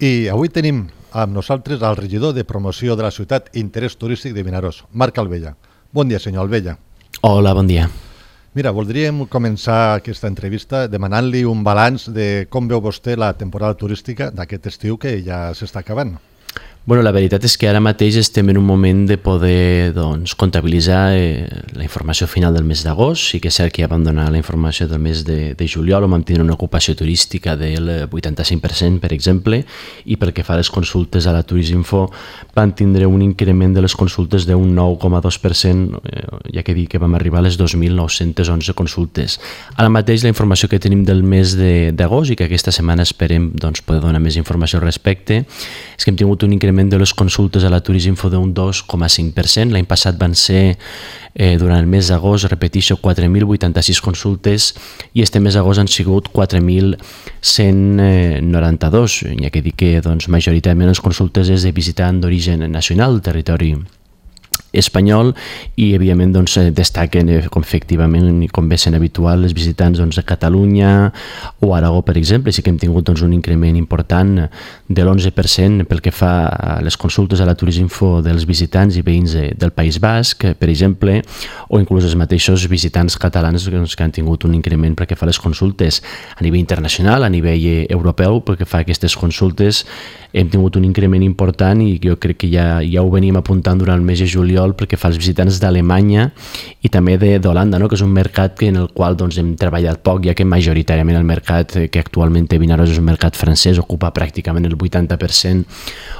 I avui tenim amb nosaltres el regidor de promoció de la ciutat i interès turístic de Vinaròs, Marc Albella. Bon dia, senyor Albella. Hola, bon dia. Mira, voldríem començar aquesta entrevista demanant-li un balanç de com veu vostè la temporada turística d'aquest estiu que ja s'està acabant. Bueno, la veritat és que ara mateix estem en un moment de poder comptabilitzar la informació final del mes d'agost. Sí que és cert que ja vam donar la informació del mes de juliol, on vam tenir una ocupació turística del 85%, per exemple, i pel que fa a les consultes a la Turisminfo van tindre un increment de les consultes d'un 9,2%, ja que dic que vam arribar a les 2.911 consultes. Ara mateix la informació que tenim del mes d'agost i que aquesta setmana esperem poder donar més informació al respecte és que hem tingut un increment de les consultes a la Turisminfo d'un 2,5%. L'any passat van ser, durant el mes d'agost, repeteixo, 4.086 consultes i este mes d'agost han sigut 4.192, ja que dic que majoritàriament les consultes és de visitant d'origen nacional del territori espanyol i evidentment destaquen efectivament i com bé sent habitual les visitants de Catalunya o Aragó, per exemple. Sí que hem tingut un increment important de l'11% pel que fa a les consultes a la Turisminfo dels visitants i veïns del País Basc, per exemple, o inclús els mateixos visitants catalans que han tingut un increment pel que fa a les consultes a nivell internacional, a nivell europeu. Pel que fa a aquestes consultes hem tingut un increment important i jo crec que ja ho veníem apuntant durant el mes de juliol pel que fa als visitants d'Alemanya i també d'Holanda, que és un mercat en el qual hem treballat poc, ja que majoritàriament el mercat que actualment té Vinaròs és un mercat francès, ocupa pràcticament el 80%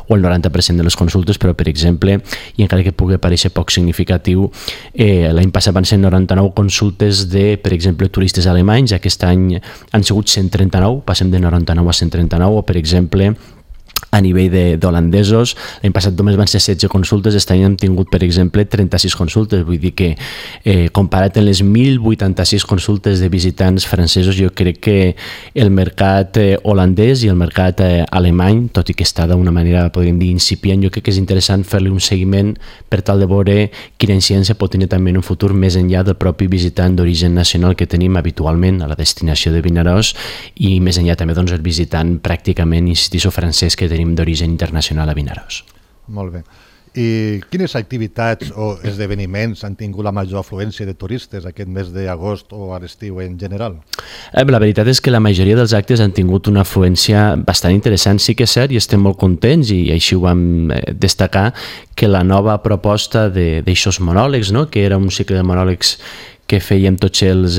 o el 90% de les consultes, però per exemple, i encara que pugui paréixer poc significatiu, l'any passat van ser 99 consultes de, per exemple, turistes alemanys, aquest any han sigut 139, passem de 99 a 139, o per exemple, a nivell d'holandesos, l'any passat només van ser 16 consultes, aquest any hem tingut, per exemple, 36 consultes, vull dir que comparat amb les 1.086 consultes de visitants francesos, jo crec que el mercat holandès i el mercat alemany, tot i que està d'una manera, podríem dir, incipient, jo crec que és interessant fer-li un seguiment per tal de veure quina incidència pot tenir també en un futur més enllà del propi visitant d'origen nacional que tenim habitualment a la destinació de Vinaròs i més enllà també el visitant pràcticament, insistixo, francès que tenim d'origen internacional a Vinaròs. Molt bé. I quines activitats o esdeveniments han tingut la major afluència de turistes aquest mes d'agost o a l'estiu en general? La veritat és que la majoria dels actes han tingut una afluència bastant interessant. Sí que és cert i estem molt contents i així ho vam destacar que la nova proposta d'aixòs monòlegs, que era un cicle de monòlegs que fèiem tots els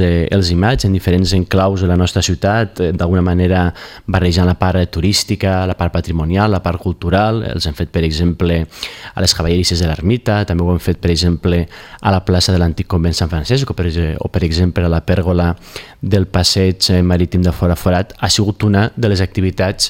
imatges en diferents enclaus de la nostra ciutat, d'alguna manera barrejant la part turística, la part patrimonial, la part cultural. Els hem fet, per exemple, a les cavallerisses de l'Ermita, també ho hem fet, per exemple, a la plaça de l'Antic Convent Sant Francesc o, per exemple, a la pèrgola del passeig marítim de Fora Forat. Ha sigut una de les activitats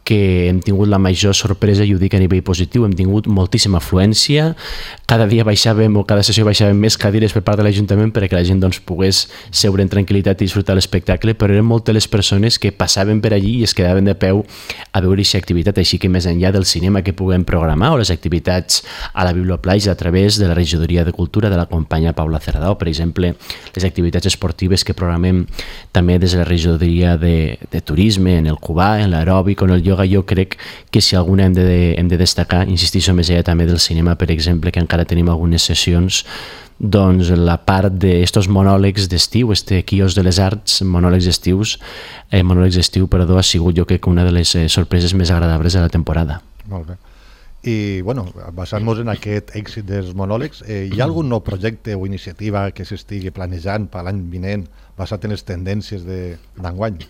que hem tingut la major sorpresa, i ho dic a nivell positiu. Hem tingut moltíssima afluència, cada dia baixàvem o cada sessió baixàvem més cadires per part de l'Ajuntament perquè la gent pogués seure en tranquil·litat i disfrutar l'espectacle, però eren moltes les persones que passaven per allí i es quedaven de peu a veure aquesta activitat, així que més enllà del cinema que puguem programar o les activitats a la Biblioplaja a través de la Regidoria de Cultura de la companya Paula Cerdà, o per exemple les activitats esportives que programem també des de la Regidoria de Turisme, en el Cubà, en l'aeròbic o en el ioga. Jo crec que si alguna hem de destacar, insistixo més allà també del cinema, per exemple, que encara tenim algunes sessions, la part d'estos monòlegs d'estiu, quios de les arts, monòlegs d'estiu, ha sigut jo crec una de les sorpreses més agradables de la temporada. Molt bé. I, basant-nos en aquest èxit dels monòlegs, hi ha algun nou projecte o iniciativa que s'estigui planejant per l'any vinent basat en les tendències d'enguany?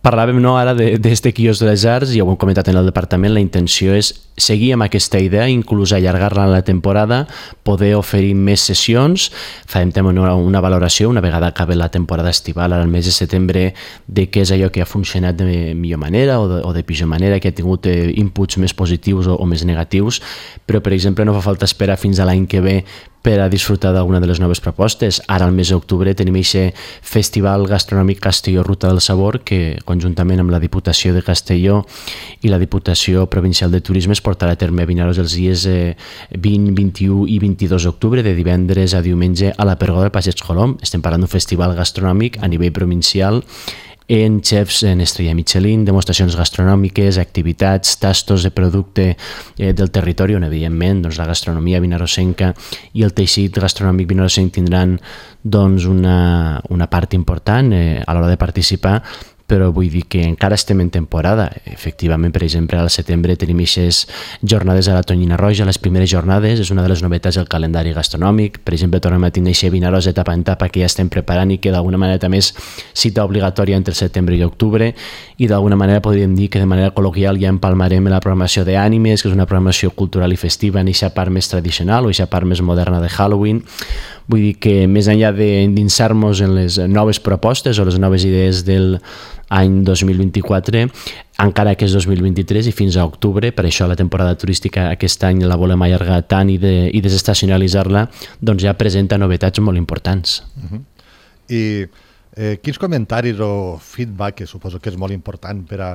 Parlàvem ara d'este quios de les arts, ja ho hem comentat en el departament. La intenció és seguir amb aquesta idea, inclús allargar-la en la temporada, poder oferir més sessions. Farem també una valoració una vegada acabi la temporada estival, ara al mes de setembre, de què és allò que ha funcionat de millor manera o de pitjor manera, que ha tingut inputs més positius o més negatius, però per exemple no fa falta esperar fins a l'any que ve per a disfrutar d'alguna de les noves propostes. Ara, al mes d'octubre, tenim aquest Festival Gastronòmic Castelló Ruta del Sabor, que conjuntament amb la Diputació de Castelló i la Diputació Provincial de Turisme es portarà a terme a Vinaròs els dies 20, 21 i 22 d'octubre, de divendres a diumenge a la Pergola del Passeig Colom. Estem parlant d'un festival gastronòmic a nivell provincial en xefs en estrella Michelin, demostracions gastronòmiques, activitats, tastos de producte del territori, on evidentment doncs, la gastronomia vinarosenca i el teixit gastronòmic vinarosenc tindran doncs, una part important a l'hora de participar, però vull dir que encara estem en temporada. Efectivament, per exemple, al setembre tenim aquestes jornades a la Tonyina Roja, les primeres jornades, és una de les novetats del calendari gastronòmic. Per exemple, tornem a tenir aquest Vinaròs etapa en etapa que ja estem preparant i que d'alguna manera també és cita obligatòria entre setembre i octubre, i d'alguna manera podríem dir que de manera col·loquial ja empalmarem la programació d'ànimes, que és una programació cultural i festiva en aquesta part més tradicional o aquesta part més moderna de Halloween. Vull dir que més enllà d'endinsar-nos en les noves propostes o les noves idees del any 2024, encara que és 2023 i fins a octubre, per això la temporada turística aquest any la volem allargar tant i desestacionalitzar-la, doncs ja presenta novetats molt importants. I quins comentaris o feedback, que suposo que és molt important per a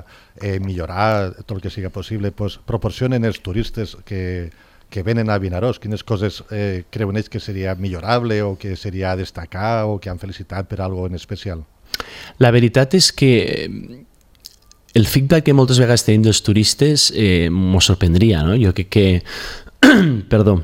millorar tot el que sigui possible, proporcionen els turistes que venen a Vinaròs? Quines coses creuen ells que seria millorable o que seria destacar o que han felicitat per algo en especial? La veritat és que el feedback que moltes vegades tenim dels turistes m'ho sorprendria, no? Jo crec que perdó,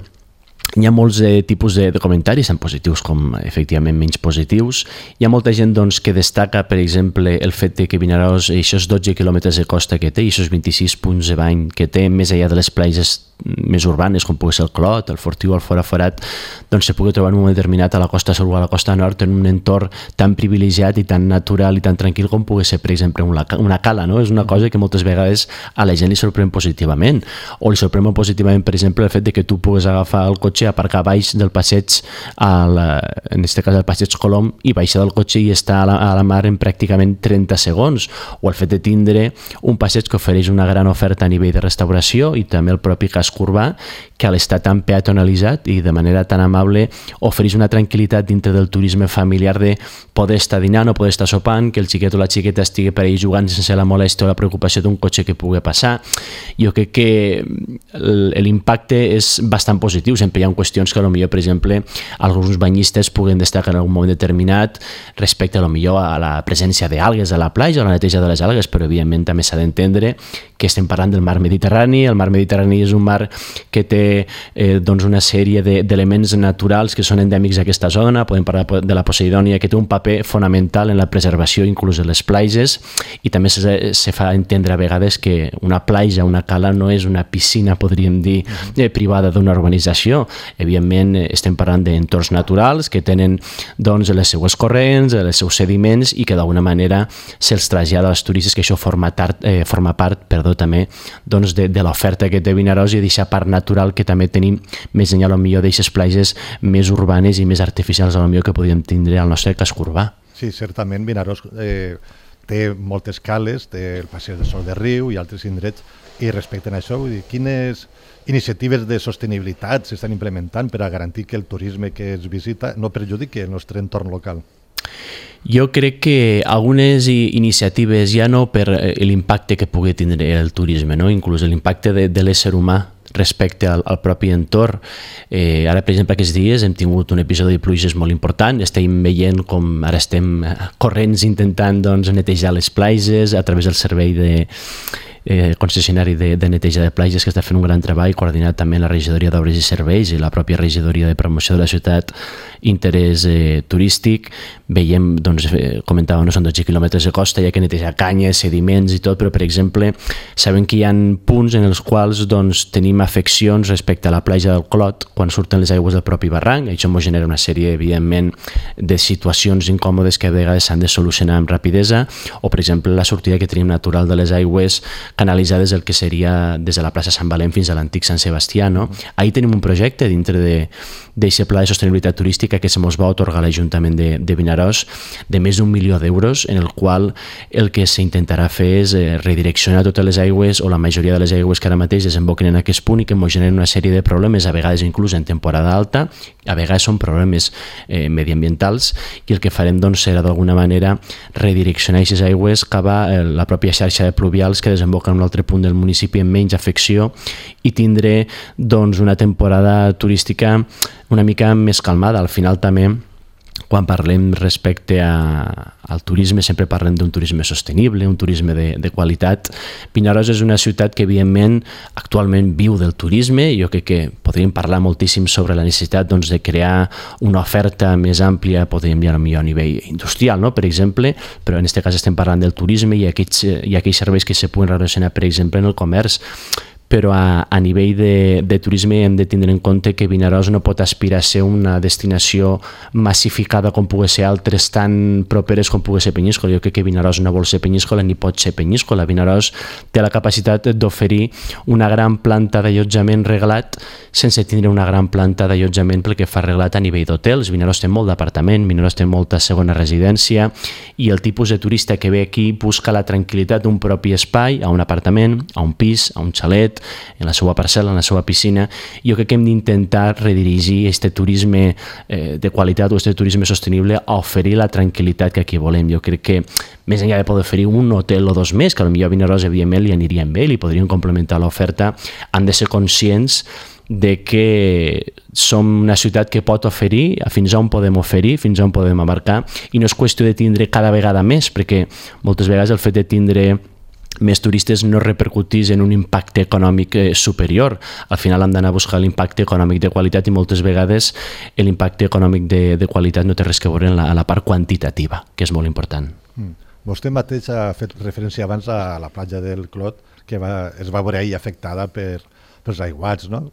hi ha molts tipus de comentaris, tant positius com efectivament menys positius. Hi ha molta gent doncs, que destaca, per exemple, el fet que Vinaròs, aquests 12 quilòmetres de costa que té i aquests 26 punts de bany que té, més enllà de les platges més urbanes, com pugui ser el Clot, el Fortiu o el Fora Forat, doncs se pugui trobar en un moment determinat a la costa sud o a la costa nord en un entorn tan privilegiat i tan natural i tan tranquil com pugui ser, per exemple, una cala, no? És una cosa que moltes vegades a la gent li sorprèn positivament, o li sorprèn molt positivament, per exemple, el fet de que tu pugues agafar el cotxe, aparcar baix del passeig, en aquest cas el passeig Colom, i baixar del cotxe i estar a la mar en pràcticament 30 segons, o el fet de tindre un passeig que ofereix una gran oferta a nivell de restauració i també el propi casc urbà, que al estar tan peatonalitzat i de manera tan amable ofereix una tranquil·litat dintre del turisme familiar de poder estar dinant o poder estar sopant, que el xiquet o la xiqueta estigui per ahí jugant sense la molèstia o la preocupació d'un cotxe que pugui passar. Jo crec que l'impacte és bastant positiu. Sempre hi ha qüestions que potser, per exemple, alguns banyistes puguen destacar en algun moment determinat respecte potser a la presència d'algues a la platja o a la neteja de les algues, però evidentment també s'ha d'entendre que estem parlant del mar Mediterrani. El mar Mediterrani és un mar que té doncs una sèrie d'elements naturals que són endèmics d'aquesta zona. Podem parlar de la Poseidònia, que té un paper fonamental en la preservació inclús de les platges, i també se fa entendre a vegades que una platja, una cala, no és una piscina, podríem dir, privada d'una urbanització. Evidentment estem parlant d'entorns naturals que tenen doncs les seues corrents, els seus sediments, i que d'alguna manera se'ls trasllada als turistes, que això forma part també doncs, de l'oferta que té Vinaròs i d'aquesta part natural que també tenim més enllà potser d'aquestes platges més urbanes i més artificials potser que podríem tindre al nostre casc urbà. Sí, certament Vinaròs té moltes cales, té el Passeig del Sol de Riu i altres indrets, i respecte a això, vull dir, quines iniciatives de sostenibilitat s'estan implementant per a garantir que el turisme que es visita no perjudiqui el nostre entorn local? Jo crec que algunes iniciatives, ja no per l'impacte que pugui tindre el turisme, no? Inclús l'impacte de l'ésser humà respecte al propi entorn. Ara, per exemple, aquests dies hem tingut un episodi de pluges molt important. Estem veient com ara estem corrents intentant netejar les platges a través del servei concessionari de neteja de platges, que està fent un gran treball coordinat també la regidoria d'Obres i Serveis i la pròpia regidoria de promoció de la ciutat, interès turístic. Veiem, comentava, no són 12 quilòmetres de costa, hi ha que netejar canyes, sediments i tot, però per exemple sabem que hi ha punts en els quals tenim afeccions respecte a la platja del Clot quan surten les aigües del propi barranc. Això ens genera una sèrie, evidentment, de situacions incòmodes que a vegades s'han de solucionar amb rapidesa, o per exemple la sortida que tenim natural de les aigües canalitzades el que seria des de la plaça Sant Valent fins a l'antic Sant Sebastià, no? Ahir tenim un projecte dintre d'aquest pla de sostenibilitat turística que se mos va atorgar l'Ajuntament de Vinaròs de més d'1 milió d'euros, en el qual el que s'intentarà fer és redireccionar totes les aigües o la majoria de les aigües que ara mateix desemboquen en aquest punt i que ens generen una sèrie de problemes, a vegades inclús en temporada alta, a vegades són problemes mediambientals, i el que farem serà d'alguna manera redireccionar aquestes aigües cap a la pròpia xarxa de pluvials que desemboquen en un altre punt del municipi amb menys afecció, i tindré una temporada turística una mica més calmada. Al final també quan parlem respecte al turisme sempre parlem d'un turisme sostenible, un turisme de qualitat. Vinaròs és una ciutat que evidentment actualment viu del turisme. Jo crec que podríem parlar moltíssim sobre la necessitat de crear una oferta més àmplia, podríem dir a nivell industrial, no? Per exemple, però en aquest cas estem parlant del turisme i aquells serveis que se puguen relacionar, per exemple, en el comerç. Però a nivell de turisme hem de tindre en compte que Vinaròs no pot aspirar a ser una destinació massificada com pugui ser altres tan properes com pugui ser Penyíscola. Jo crec que Vinaròs no vol ser Penyíscola ni pot ser Penyíscola. Vinaròs té la capacitat d'oferir una gran planta d'allotjament reglat sense tindre una gran planta d'allotjament pel que fa reglat a nivell d'hotels. Vinaròs té molt d'apartament, Vinaròs té molta segona residència i el tipus de turista que ve aquí busca la tranquil·litat d'un propi espai, a un apartament, a un pis, a un xalet, en la seva parcel·la, en la seva piscina. Jo crec que hem d'intentar redirigir aquest turisme de qualitat o aquest turisme sostenible a oferir la tranquil·litat que aquí volem. Jo crec que més enllà de poder oferir un hotel o dos més, que potser a Vinaròs evidentment li anirien bé, li podrien complementar l'oferta, han de ser conscients de que som una ciutat que pot oferir, fins on podem oferir, fins on podem abarcar, i no és qüestió de tindre cada vegada més, perquè moltes vegades el fet de tindre més turistes no repercutís en un impacte econòmic superior. Al final hem d'anar a buscar l'impacte econòmic de qualitat i moltes vegades l'impacte econòmic de qualitat no té res que veure en la part quantitativa, que és molt important. Vostè mateix ha fet referència abans a la platja del Clot, que es va veure ahir afectada pels aiguats, no?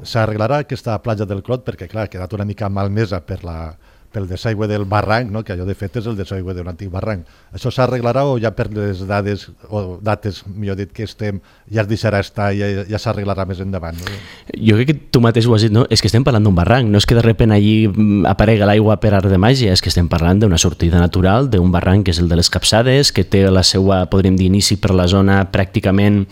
S'arreglarà aquesta platja del Clot perquè, clar, ha quedat una mica malmesa pel desaigüe del barranc, no? Que allò de fet és el desaigüe d'un antic barranc. Això s'arreglarà o ja per les dates, millor dit, que estem, ja es deixarà estar i ja s'arreglarà més endavant? No? Jo crec que tu mateix ho has dit, no? És que estem parlant d'un barranc, no és que de repente allí aparega l'aigua per art de màgia, és que estem parlant d'una sortida natural, d'un barranc que és el de les Capçades, que té la seva, podríem dir, inici per la zona pràcticament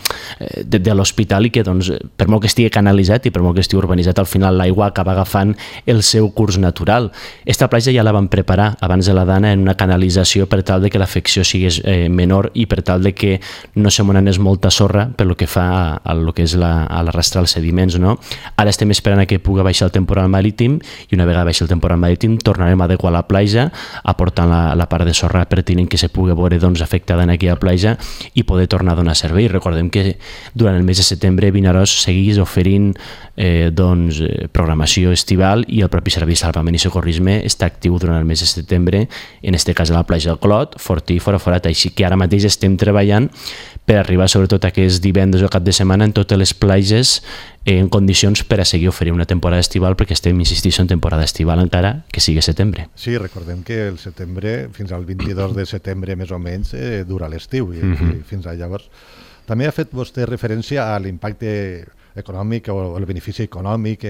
de l'hospital i que, doncs, per molt que estigui canalitzat i per molt que estigui urbanitzat, al final l'aigua acaba agafant el seu curs natural. Esta platja ja la van preparar abans de la Dana en una canalització per tal de que l'afecció sigués menor i per tal de que no se m'anés molta sorra per lo que fa a lo que és l'arrastrar els sediments, no? Ara estem esperant a que pugui baixar el temporal marítim i una vegada baixi el temporal marítim tornarem a adequar la platja aportant la part de sorra pertinent que se pugui veure afectada en aquella platja i poder tornar a donar servei. Recordem que durant el mes de setembre Vinaròs seguís oferint programació estival i el propi Servei de Salvament i Socorrisme està actiu durant el mes de setembre, en aquest cas a la platja del Clot, Fortí i Foraforat, així que ara mateix estem treballant per arribar sobretot aquest divendres o cap de setmana en totes les platges en condicions per a seguir oferint una temporada estival perquè estem, insisteixo, en temporada estival encara que sigui setembre. Sí, recordem que el setembre, fins al 22 de setembre més o menys, dura l'estiu i fins a llavors. També ha fet vostè referència a l'impacte econòmic o el benefici econòmic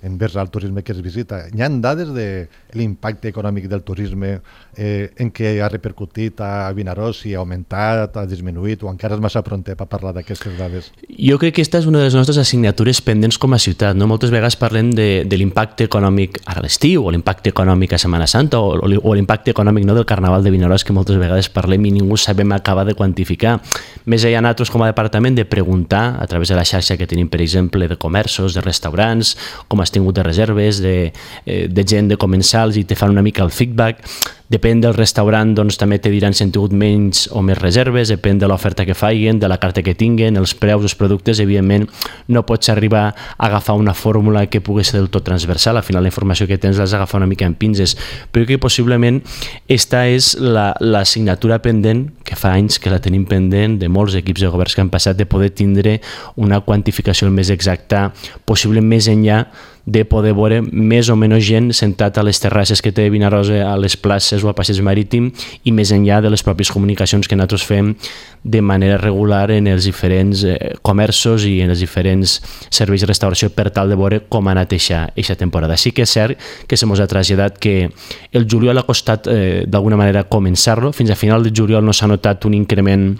envers el turisme que es visita. Hi ha dades de l'impacte econòmic del turisme en què ha repercutit a Vinaròs, si ha augmentat, ha disminuït o encara és massa pronter per parlar d'aquestes dades? Jo crec que aquesta és una de les nostres assignatures pendents com a ciutat, no? Moltes vegades parlem de l'impacte econòmic a l'estiu o l'impacte econòmic a Setmana Santa o l'impacte econòmic del Carnaval de Vinaròs que moltes vegades parlem i ningú sabem acabar de quantificar. Més allà nosaltres com a departament de preguntar a través de la xarxa que tenim, per exemple, de comerços, de restaurants, com has tingut de reserves, de gent de comensals i te fan una mica el feedback. Depèn del restaurant, doncs també te diran si han tingut menys o més reserves, depèn de l'oferta que facin, de la carta que tinguen, els preus, els productes, evidentment no pots arribar a agafar una fórmula que pugui ser del tot transversal, al final la informació que tens l'has d'agafar una mica en pinces, però que possiblement esta és l'assignatura pendent, que fa anys que la tenim pendent de molts equips de governs que han passat, de poder tindre una quantificació més exacta, possiblement més enllà de poder veure més o menys gent sentat a les terrasses que té Vinaròs, a les places o a passeig marítim i més enllà de les pròpies comunicacions que nosaltres fem de manera regular en els diferents comerços i en els diferents serveis de restauració per tal de veure com ha anat aquesta temporada. Sí que és cert que se mos ha traslladat que el juliol ha costat d'alguna manera començar-lo, fins a final de juliol no s'ha notat un increment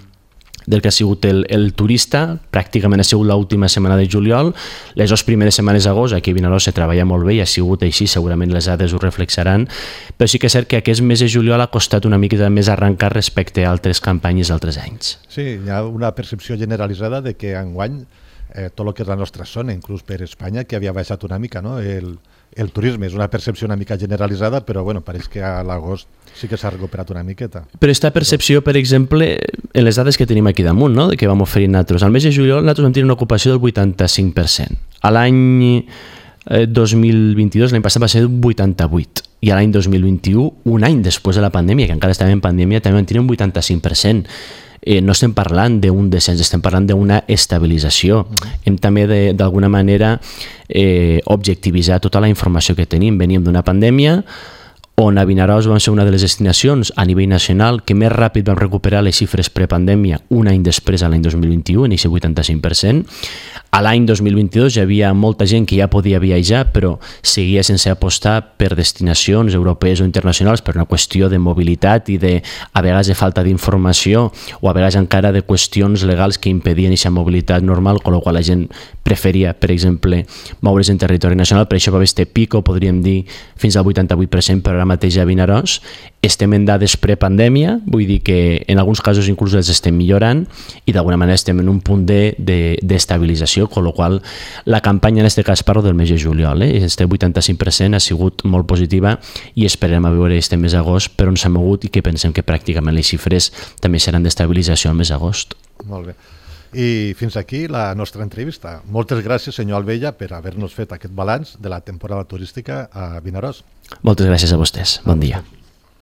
del que ha sigut el turista, pràcticament ha sigut l'última setmana de juliol, les dues primeres setmanes d'agost, aquí a Vinaròs se treballa molt bé i ha sigut així, segurament les dades ho reflexaran, però sí que és cert que aquest mes de juliol ha costat una mica més arrencar respecte a altres campanyes d'altres anys. Sí, hi ha una percepció generalitzada de que enguany tot el que és la nostra zona, inclús per Espanya, que havia baixat una mica, no? El turisme és una percepció una mica generalitzada, però bueno, pareix que a l'agost sí que s'ha recuperat una miqueta. Però aquesta percepció, per exemple, en les dades que tenim aquí damunt, no? Que vam oferir nosaltres, al mes de juliol nosaltres vam tenir una ocupació del 85%. A l'any 2022, l'any passat va ser un 88%, i a l'any 2021, un any després de la pandèmia, que encara estàvem en pandèmia, també vam tenir un 85%. No estem parlant d'un descens, estem parlant d'una estabilització. Hem també d'alguna manera objectivitzar tota la informació que tenim. Veníem d'una pandèmia on a Vinaròs vam ser una de les destinacions a nivell nacional que més ràpid vam recuperar les xifres prepandèmia un any després, a l'any 2021, en aquest 85%. A l'any 2022 hi havia molta gent que ja podia viatjar, però seguia sense apostar per destinacions europees o internacionals per una qüestió de mobilitat i a vegades de falta d'informació o a vegades encara de qüestions legals que impedien aquesta mobilitat normal, amb la qual la gent preferia, per exemple, moure's en territori nacional. Per això va haver este pico, podríem dir, fins al 88%, però ara mateix a Vinaròs estem en dades prepandèmia, vull dir que en alguns casos inclús els estem millorant i d'alguna manera estem en un punt d'estabilització, amb la qual la campanya, en aquest cas parlo del mes de juliol, este 85% ha sigut molt positiva i esperem a veure este mes d'agost per on s'ha mogut i que pensem que pràcticament les xifres també seran d'estabilització al mes d'agost. Molt bé. I fins aquí la nostra entrevista. Moltes gràcies, senyor Albella, per haver-nos fet aquest balanç de la temporada turística a Vinaròs. Moltes gràcies a vostès. Bon dia.